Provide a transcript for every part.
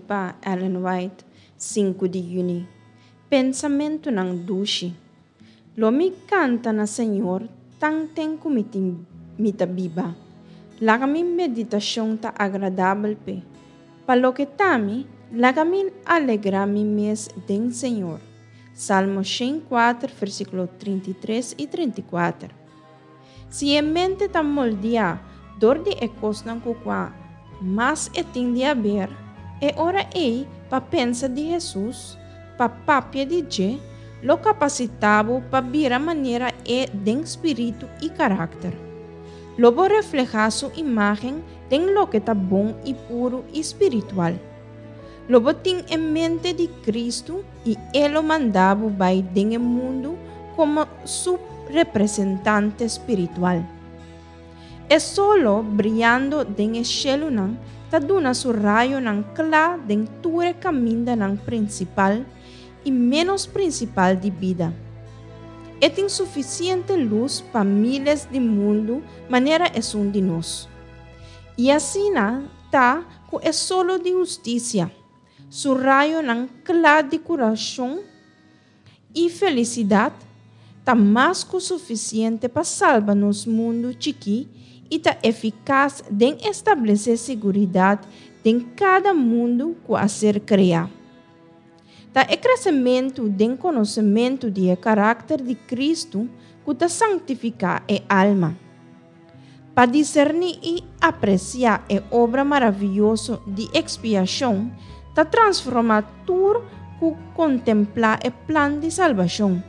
pa Ellen White, sinku di yüni. Pensamentunan dushi. Lo mi kanta na Señor tanten ku mi tin mi ta biba. Laga mi meditashon ta agradabel p'e. Pa loke ta mi, laga mi alegrá mi mes den Señor. Salmo 104, versíkulo 33 i 34. Si e mente ta moldeá dor di e kosnan ku kua mas e tin di haber, e ora ei pa pensa di Hesus, pa papia di dje, lo kapasitá bo pa bira manera e den spiritu i karakter. Lo bo reflehá su imágen den loke ta bon i puru i spiritual. Lo bo tin e mente di Kristu i E lo manda bo bai den e mundu komo Su representante spiritual. E solo briando den e shelunan ta duna su rayonan kla den tur e kamindanan prinsipal i ménos prinsipal di bida. E tin sufisiente lus pa míles di mundu manera esun di nos. I asina ta ku e solo di hustisia, su rayonan kla di kurashon i felisidat ta mas ku sufisiente pa salba nos mundu chikí i ta efikas den establesé siguridat den kada mundu ku a ser kreá. Ta e kresementu den konosementu di e karakter di Kristu ku ta sanktifiká e alma. Pa diserní i apresiá e obra maravioso di ekspiashon ta transformá tur ku kontemplá e plan di salbashon.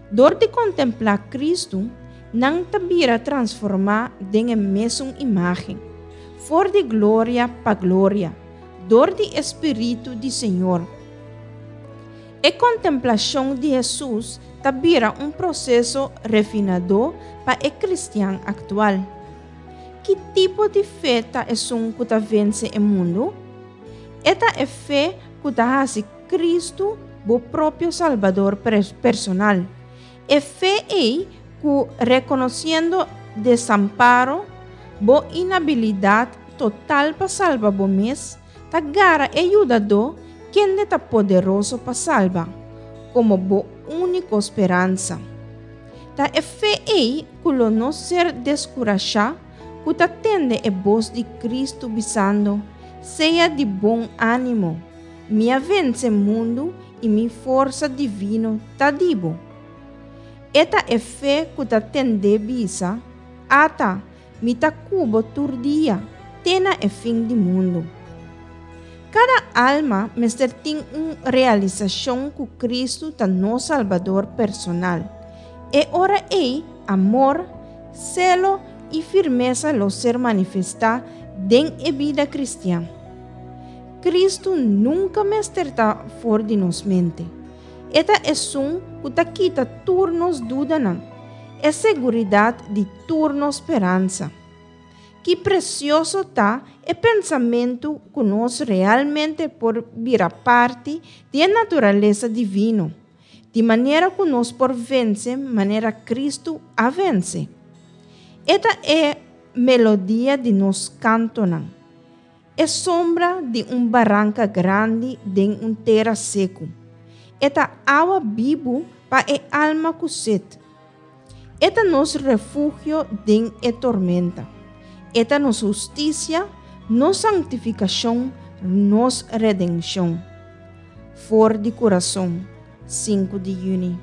Dor di kontemplá Kristu, nan ta bira transformá den e mesun imágen, for di gloria pa gloria, dor di e Spiritu di Señor. E kontemplashon di Hesus ta bira un proseso refinadó pa e kristian aktual. Ki tipo di fe ta esun ku ta vense e mundu? E ta e fe ku ta hasi Kristu bo propio Salbador personal. E fe ei ku, rekonosiendo desamparo, bo inabilidat total pa salba bo mes, ta gara e Yudadó kende ta poderoso pa salba, komo bo úniko speransa. Ta e fe ei ku lo no ser deskurashá ku ta tende e bos di Kristu bisando, Sea di bon ánimo, mi a vense mundu i mi forsa divino ta di bo. E ta e fe ku ta tend'é bisa, Ata, Mi ta ku bo tur dia, te na e fin di mundu. Kada alma mester tin un realisashon ku Kristu ta nos Salbador personal. E ora ei, amor, selo i firmesa lo ser manifestá den e bida kristian. Kristu nunka mester ta for di nos mente. E ta esun ku ta kita tur nos dudanan, e seguridat di tur nos speransa. Ki presioso ta e pensamentu ku nos realmente por bira parti di e naturalesa divino, di manera ku nos por vense manera Kristu a vense! E ta e melodia di nos kantonan, e sombra di un baranka grandi den un tera seku. E ta awa bibu pa e alma ku set. E ta nos refugio den e tormenta. E ta nos hustisia, nos sanktifikashon, nos redenshon. For di kurason, sinku di yüni.